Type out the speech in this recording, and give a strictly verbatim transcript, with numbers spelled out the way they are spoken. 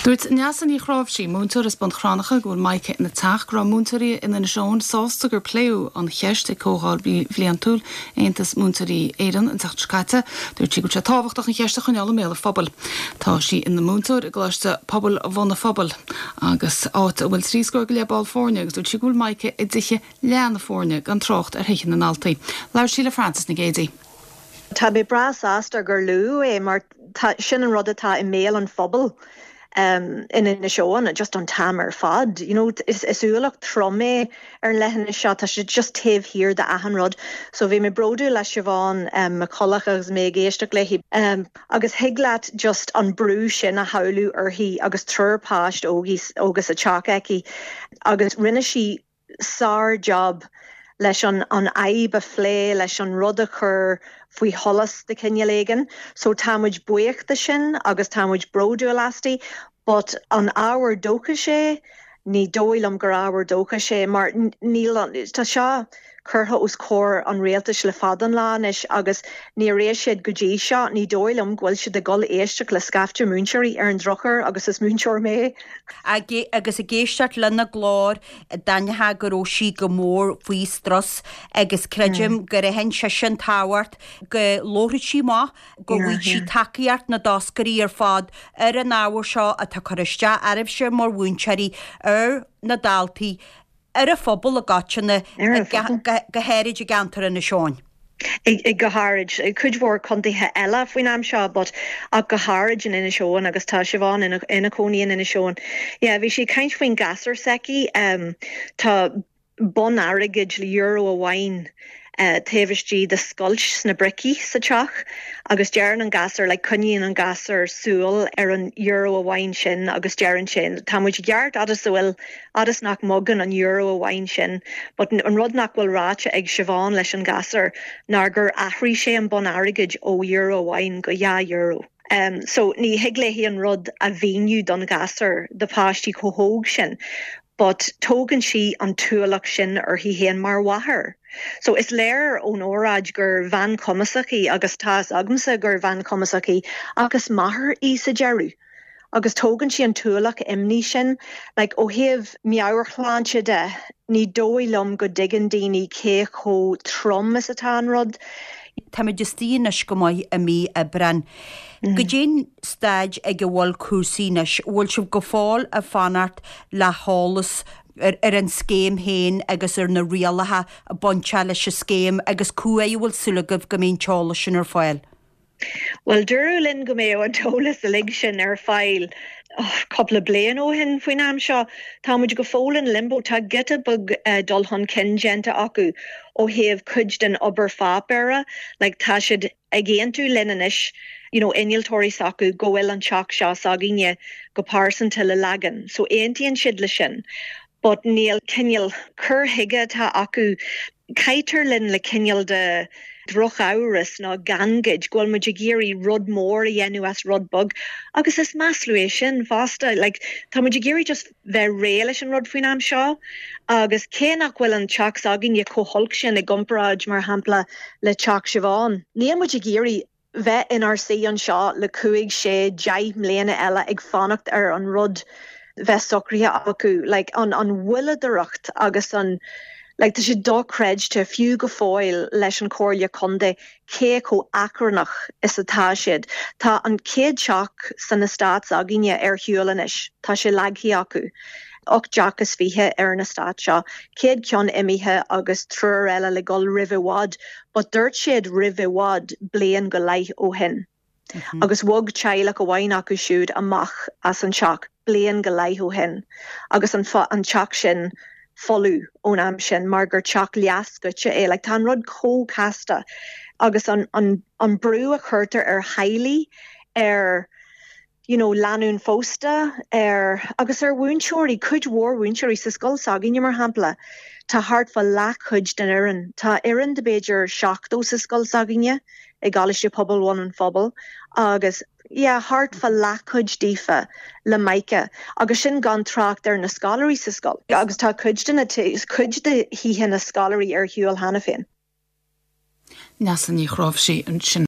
Dúirt Neasa Ní Chráimhsí múinteoir as Bun Cranncha go bhfuil Mica ina teach go raibh múinteoirí in Inis Eoghain sásta gur pléadh an cheist ag comhdháil bhliantúil Aontas Múinteoirí Éireann an tseachtain seo caite, dúirt sí go sé tábhachtach an cheist a choinneáil i mbéal an phobail. Tá sí ina múinteoir i gColáiste Pobail Bhun an Phobail agus áit a bhfuil trí scór go leith ball foirne agus dúirt sí go bhfuil Mica i dtithe leath na foirne gan trácht ar thithe na ndaltaí. Labhair sí le Francis Nic Géadaigh. Tá mé breá sásta gur luadh é mar sin an rud atá i mbéal an phobail. um, in Inis Eoghain just an t-am ar fad. You know, is, is ualach trom é ar leithinis seo tá sé just taobh thiar de achan rud. So bhí mé bródúil le Siobhán um, McCulloch agus mé ag éisteacht léi. Um, agus thig leat just an brú sin a shamhlú uirthi agus triúr páiste óga sa teach aici agus rinne sí sár-job leis an an fhadhb a phlé leis an rud a chur faoi sholas de chineál éigin, so táimid buíoch de sin agus táimid bródúil aisti, but an ábhar dóchais é ní dóigh liom gur ábhar dóchais é mar níl tá seo curtha os comhair an rialtais le fada an lá anois agus níor éist siad go dtí seo ní dóigh liom go bhfuil siad ag dul éisteacht le scaifte múinteoirí ar an drochuair agus is múinteoir mé. agus ag éisteacht lena glór d'aithneofá go raibh sí go mór faoi strus agus creidim mm. gur aithin sí sin tábhacht go labhródh sí amach go bhfuil sí tacaíocht na dtoscairí ar fad ar an ábhar seo atá curtha isteach oraibhse mar mhúinteoirí ar na daltaí ar an phobal i gcoitinne go háirid i gceantar Inis Eoghain. I go háirid cuid mhór contaetha eile faoin am seo, but ach go háirid in Inis Eoghain agus tá Siobhán ina ina cónaí in Inis Eoghain. Yeah, bhí sí caint faoin gasúr s'aici um, tá bonn airgid le euro amháin uh, taobh istigh de scoilt sna bricí sa teach agus deireann an gasúr le coinníonn an gasúr súil ar an euro amháin sin agus deireann sin Tá muid ceart agus bhfuil agus nach mbogann an euro amháin sin, but an rud nach bhfuil ráite ag Siobhán leis an gasúr ná gur athraigh sé an bonn airgid ó euro amháin go dhá euro. Um, so ní thig léi an rud a mhíniú don ghasúr do pháistí chomh hóg sin, but tógann sí an t-ualach sin uirthi féin mar mháthair. So is léir ón óráid gur bhean chumasach í agus tá agamsa gur bhean chumasach í agus máthair í sa deireadh. Agus tógann sí an t-ualach imní sin, like, ó thaobh meabhairshláinte de, ní dóigh liom go dtuigeann daoine cé chomh trom is atá an rud. Táimid istigh anois go maith i mí Aibreáin. Mm. Goidé'n staid ag a bhfuil cúrsaí anois, bhfuil sibh go fóill ag fanacht le heolas ar, ar an scéim féin agus ar na rialacha a bainteach leis an scéim agus cá huair a bhfuil súil agaibh go mbeidh an t-eolas sin ar fáil. Well dúradh linn go mbeadh an t-eolas uilig sin ar fáil oh, cúpla bliain ó shin faoin am seo Táimid go fóill in limbo tá giota beag uh, dul chun cinn déanta acu ó thaobh cuid den obair pháipéir, like, tá siad ag aontú linn anois you know, innealtóirí s'acu go bhfuil an teach seo s'againne go pearsanta le leagan, so aontaíonn siad le sin. But níl cineál cur chuige atá acu caitear linn le cineál de drochamhras ná gangaid go bhfuil muid ag iarraidh rud mór a dhéanamh as rud beag agus is masla é sin fosta like, tá muid ag iarraidh just bheith réidh leis an rud faoin am seo agus cé nach bhfuil an teach s'againne chomh holc sin i gcomparáid mar shampla le teach Siobhán. Níl muid ag iarraidh bheith inár suí anseo le cúig sé deich mbliana eile ag fanacht ar an rud bheith socraithe acu like, an an mhoilleadóireacht agus an like, tá sé dochreidte fiú go fóill leis an Chomhairle Contae cé chomh achrannach is atá siad. Tá an chéad teach san eastát s'againne ar shiúl anois, Tá sé leagtha acu. Ocht dteach is fiche ar an eastát seo, céad ceann imithe agus triúr eile le dul roimh i bhfad, but dúirt siad roimh i bhfad bliain go leith ó shin. Mm -hmm. Agus bhog teaghlach amháin acu siúd amach as an teach bliain go leith ó shin, agus an, an teach sin folamh ón am sin mar gur teach leathscoite é, like, tá an rud chomh casta agus an, an, an brú a chuirtear ar theaghlaigh ar you know, lánúin phósta ar agus ar mhúinteoirí cuid mhór mhúinteoirí sa scoil s'againne mar shampla. Tá thart fá leathchuid den fhoireann. Tá fhoireann de b'fhéidir seachtó sa scoil s'againne i gColáiste Pobail Bhun an Phobail agus yeah, thart fá leathchuid díofa le Mica agus sin gan trácht ar na scoláirí sa scoil. agus tá cuid de na cuid de thithe na scoláirí ar shiúl cheana féin. Neasa Ní Chráimhsí ansin.